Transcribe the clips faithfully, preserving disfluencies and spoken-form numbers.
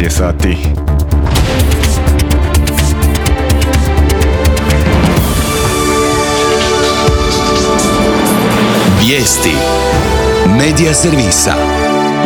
je sati. Vijesti Medija servisa.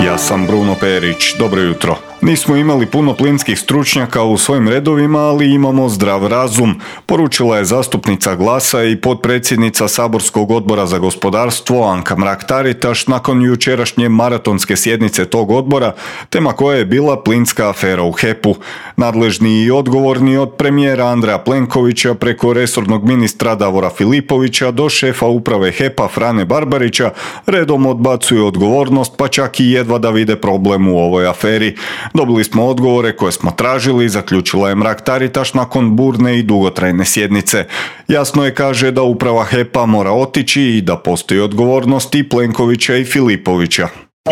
Ja sam Bruno Perić, dobro jutro. Nismo imali puno plinskih stručnjaka u svojim redovima, ali imamo zdrav razum, poručila je zastupnica Glasa i potpredsjednica Saborskog odbora za gospodarstvo Anka Mrak-Taritaš nakon jučerašnje maratonske sjednice tog odbora, tema koja je bila plinska afera u he pu. Nadležni i odgovorni od premijera Andreja Plenkovića preko resornog ministra Davora Filipovića do šefa uprave he pa Frane Barbarića redom odbacuju odgovornost, pa čak i jedva da vide problem u ovoj aferi. Dobili smo odgovore koje smo tražili, zaključila je Mrak-Taritaš nakon burne i dugotrajne sjednice. Jasno je, kaže, da uprava he pa mora otići i da postoji odgovornost i Plenkovića i Filipovića.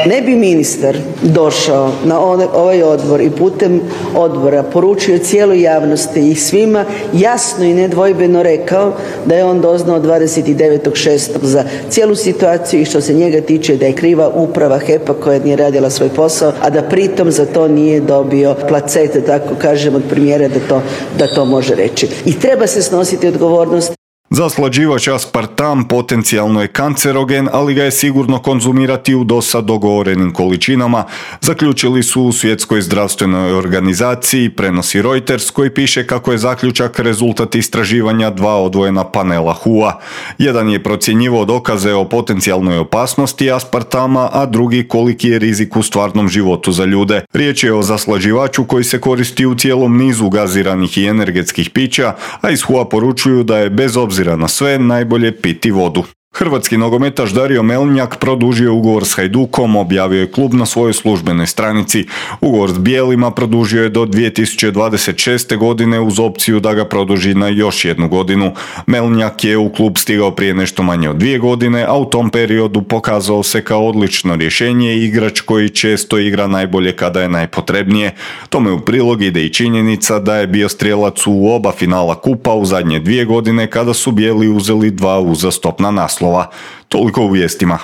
Ne bi ministar došao na ovaj odbor i putem odbora poručio cijeloj javnosti i svima jasno i nedvojbeno rekao da je on doznao dvadeset devetog šestog za cijelu situaciju i što se njega tiče da je kriva uprava he pa koja nije radila svoj posao, a da pritom za to nije dobio placete, tako kažem, od premijera da to, da to može reći. I treba se snositi odgovornost. Zaslađivač aspartam potencijalno je kancerogen, ali ga je sigurno konzumirati u dosad dogovorenim količinama, zaključili su u Svjetskoj zdravstvenoj organizaciji, prenosi Reuters, koji piše kako je zaključak rezultat istraživanja dva odvojena panela he u a. Jedan je procjenjivao dokaze o potencijalnoj opasnosti aspartama, a drugi koliki je rizik u stvarnom životu za ljude. Riječ je o zaslađivaču koji se koristi u cijelom nizu gaziranih i energetskih pića, a iz he u a poručuju da je bez obzira na sve najbolje piti vodu. Hrvatski nogometaš Dario Melnjak produžio ugovor s Hajdukom, objavio je klub na svojoj službenoj stranici. Ugovor s bijelima produžio je do dvije tisuće dvadeset šeste. godine uz opciju da ga produži na još jednu godinu. Melnjak je u klub stigao prije nešto manje od dvije godine, a u tom periodu pokazao se kao odlično rješenje i igrač koji često igra najbolje kada je najpotrebnije. Tome u prilog ide i činjenica da je bio strijelac u oba finala kupa u zadnje dvije godine kada su bijeli uzeli dva uzastopna naslova. Toliko u vijestima.